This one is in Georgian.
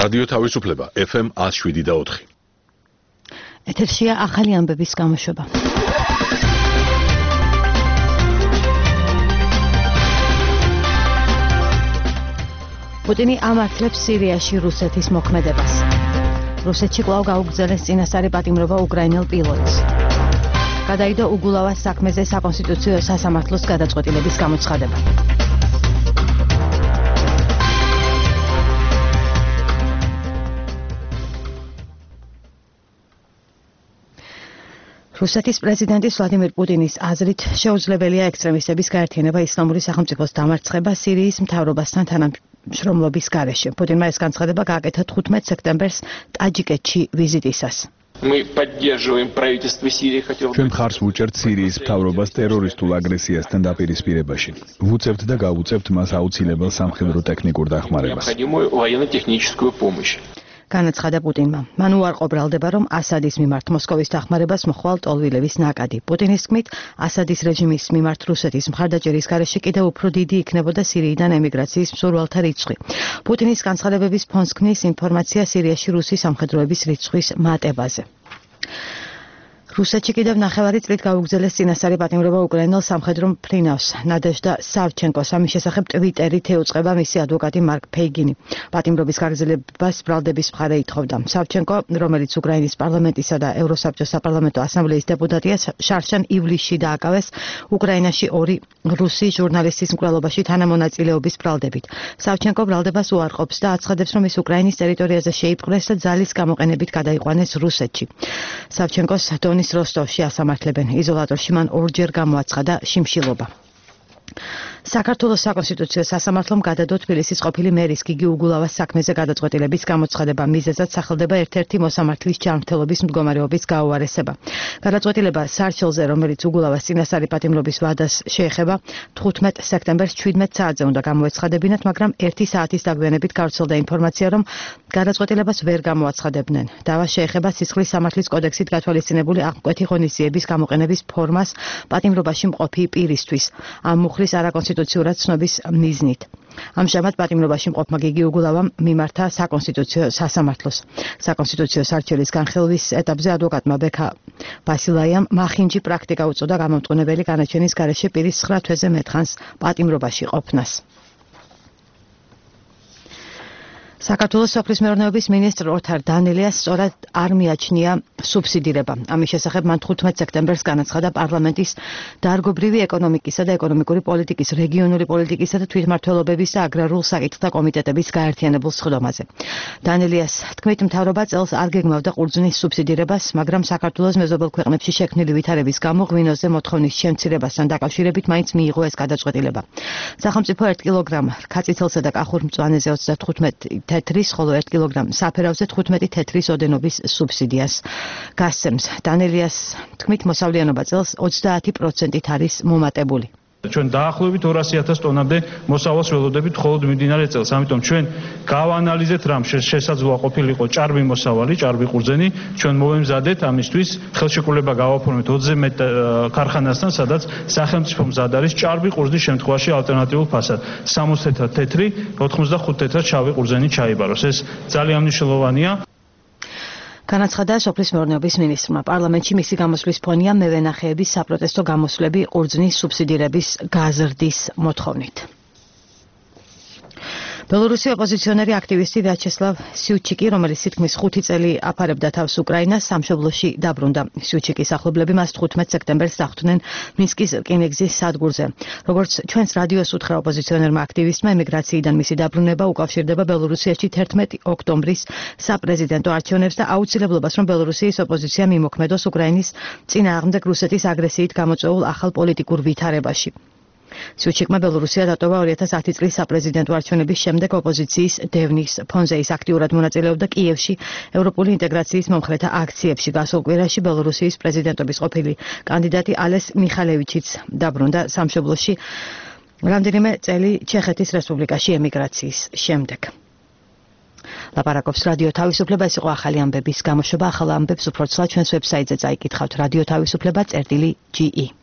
რადიო თავისუფლება FM 107.4. ეთერშია ახალი ამბების გამოშვება. პუტინი ამართლებს სირიაში რუსეთის მოქმედებას. რუსეთში კვლავ გაუგრძელეს წინასწარი პატიმრობა უკრაინელ პილოტს. გადაიდო უგულავას საქმეზე საკონსტიტუციო სასამართლოს გადაწყვეტილების გამოცხადება. რუსეთის პრეზიდენტის ვლადიმერ პუტინის აზრით შეუძლებელია ექსტრემისტების გაერთიანება ისლამური სახელმწიფოს დამარცხება სირიის მთავრობასთან თანამშრომლობის გარეშე. პუტინმა ეს განცხადება გააკეთა 15 სექტემბერს ტაჯიკეთში ვიზიტისას. ჩვენ მხარს ვუჭერთ სირიის მთავრობას ტერორისტულ აგრესიასთან დაპირისპირებაში. ვუწევთ და გავუწევთ მას აუცილებელ სამხედრო ტექნიკურ დახმარებას. განაცხადა პუტინმა. მან უარყო ბრალდება, რომ ასადის მიმართ მოსკოვის დახმარებას მოხვალ ტოლვილების ნაკადი. პუტინის თქმით, ასადის რეჟიმის მიმართ რუსეთის მხარდაჭერის გარეშე კიდევ უფრო დიდი იქნებოდა სირიიდან ემიგრაციის მსურველთა რიცხვი. პუტინის განცხადებების ფონს ქმნის ინფორმაცია სირიაში რუსი სამხედროების რიცხვის მატებაზე. რუსეთში კიდევ ნახევარი წლით გაუგრძელეს წინასწარი პატიმრობა უკრაინელ სამხედრო მფრინავს ნადეჟდა სავჩენკოს. ამის შესახებ ტვიტერით ეუწყება მისი ადვოკატი მარკ ფეიგინი. პატიმრობის გაგრძელებას ბრალდების მხარე ითხოვდა. სავჩენკო, რომელიც უკრაინის პარლამენტისა და ევროსაბჭოს საპარლამენტო ასამბლეის დეპუტატია, შარშან ივლისში დააკავეს უკრაინაში 2 რუსი ჟურნალისტის მკვლელობაში თანამონაწილეობის ბრალდებით. სავჩენკო ბრალდებას უარყოფს და აცხადებს, რომ ის უკრაინის ტერიტორიაზე შეიპყრეს და ძალის გამოყენებით გადაიყვანეს რუსეთში. სავჩენკოს დონის როსტოვში ასამართლებენ. იზოლატორში მან 2-ჯერ გამოაცხადა შიმშილობა. საქართველოს საკონსტიტუციო სასამართლომ გადადო თბილისის ყოფილი მერის გიგი უგულავას საქმეზე გადაწყვეტილების გამოცხადება. მიზეზად სახელდება ერთ-ერთი მოსამართლის ჯანმრთელობის მდგომარეობის გაუარესება. გადაწყვეტილება სარჩელზე, რომელიც უგულავას წინასწარი პატიმრობის ვადას შეეხება, 15 სექტემბერს 17 საათზე უნდა გამოეცხადებინათ, მაგრამ 1 საათის დაგვიანებით გავრცელდა ინფორმაცია, რომ გადაწყვეტილებას ვერ გამოაცხადებდნენ. დავა შეეხება სისხლის სამართლის კოდექსით გათვალისწინებული აღმკვეთი ღონისძიების გამოყენების ფორმას პატიმრობაში მყოფი პირისთვის. ამ მუხლის არაკონსტიტუციურად ცნობის მიზნით. ამჟამად პატიმრობაში მყოფმა გიგი უგულავამ მიმართა საკონსტიტუციო სასამართლოს. საკონსტიტუციო სარჩელის განხილვის ეტაპზე ადვოკატმა ბექა ბასილაიამ მახინჯი პრაქტიკა უწოდა გამომტყუნებელი განაჩენის გარეშე პირის 9 თვეზე მეტხანს პატიმრობაში ყოფნას. საქართველოს სოფლის მეურნეობის მინისტრ ოთარ დანელიას სწორად არ მიაჩნია სუბსიდირება. ამის შესახებ მან 15 სექტემბერს განაცხადა პარლამენტის დარგობრივი ეკონომიკისა და ეკონომიკური პოლიტიკის, რეგიონული პოლიტიკისა და თვითმმართველობების და აგრარულ საკითხთა კომიტეტების გაერთიანებულ სხდომაზე. დანელიას თქმით, მთავრობა წელს არ გეგმავდა ყურძნის სუბსიდირებას, მაგრამ საქართველოს მეზობელ ქვეყნებში შექმნილი ვითარების გამო ღვინოზე მოთხოვნის შემცირებასთან დაკავშირებით მაინც მიიღო ეს გადაწყვეტილება. სახელმწიფო 1 კილოგრამ რქაწითელსა და კახურ მწვანეზე 35 თეთრის, ხოლო 1 კილოგრამ საფერავზე 15 თეთრის ოდენობის სუბსიდიას გასცემს. დანელიას თქმით, მოსავლიანობა წელს 30%-ით არის მომატებული. ჩვენ დაახლოებით 200,000 ტონამდე მოსავალს ველოდებით მხოლოდ მიმდინარე წელს. ამიტომ ჩვენ გავანალიზეთ რამ შესაძლოა ყოფილიყო ჭარბი მოსავალი, ჭარბი ყურძენი. ჩვენ მოვემზადეთ ამისთვის ხელშეკრულება გავაფორმეთ 20-ზე მეტ ქარხანასთან, სადაც სახელმწიფო მზად არის ჭარბი ყურძნის შემთხვევაში ალტერნატიულ ფასად. 60 თეთრად თეთრი, 85 თეთრად შავი ყურძენი ჩაიბაროს. ეს ძალიან მნიშვნელოვანია. განაცხადა სოფლის მეურნეობის მინისტრმა. პარლამენტში მისი გამოსვლის ფონია მევენახეების საპროტესტო გამოსვლები ყურძნის სუბსიდირების გაზრდის მოთხოვნით. ბელორუსი ოპოზიციონერი აქტივისტი ვიაჩესლავ სიუჩიკი, რომელიც თითქმის 5 წელი აფარებდა თავს უკრაინას, სამშობლოში დაბრუნდა. სიუჩიკის ახლობლები მას 15 სექტემბერს დახვდნენ მინსკის რკინიგზის სადგურზე. როგორც ჩვენს რადიოს უთხრა ოპოზიციონერმა აქტივისტმა, ემიგრაციიდან მისი დაბრუნება უკავშირდება ბელორუსიაში 11 ოქტომბრის საპრეზიდენტო არჩევნებს და აუცილებლობას, რომ ბელორუსიის ოპოზიცია მიმოქმედოს უკრაინის წინააღმდეგ რუსეთის აგრესიით გამოწვეულ ახალ პოლიტიკურ ვითარებაში. სიუჩიკმა ბელორუსია დატოვა 2010 წლის საპრეზიდენტო არჩევნების შემდეგ ოპოზიციის დევნის ფონზე. ის აქტიურად მონაწილეობდა კიევში ევროპული ინტეგრაციის მომხრეთა აქციებში. გასულ კვირაში ბელორუსიის პრეზიდენტობის ყოფილი კანდიდატი ალეს მიხალევიჩიც დაბრუნდა სამშობლოში რამდენიმე წელი ჩეხეთის რესპუბლიკაში ემიგრაციის შემდეგ. ლაპარაკობს რადიო თავისუფლება. ეს იყო ახალი ამბების გამოშვება. ახალ ამბებს უფრო ცალ ჩვენს ვებსაიტზე წაიკითხავთ. რადიო თავისუფლება.ge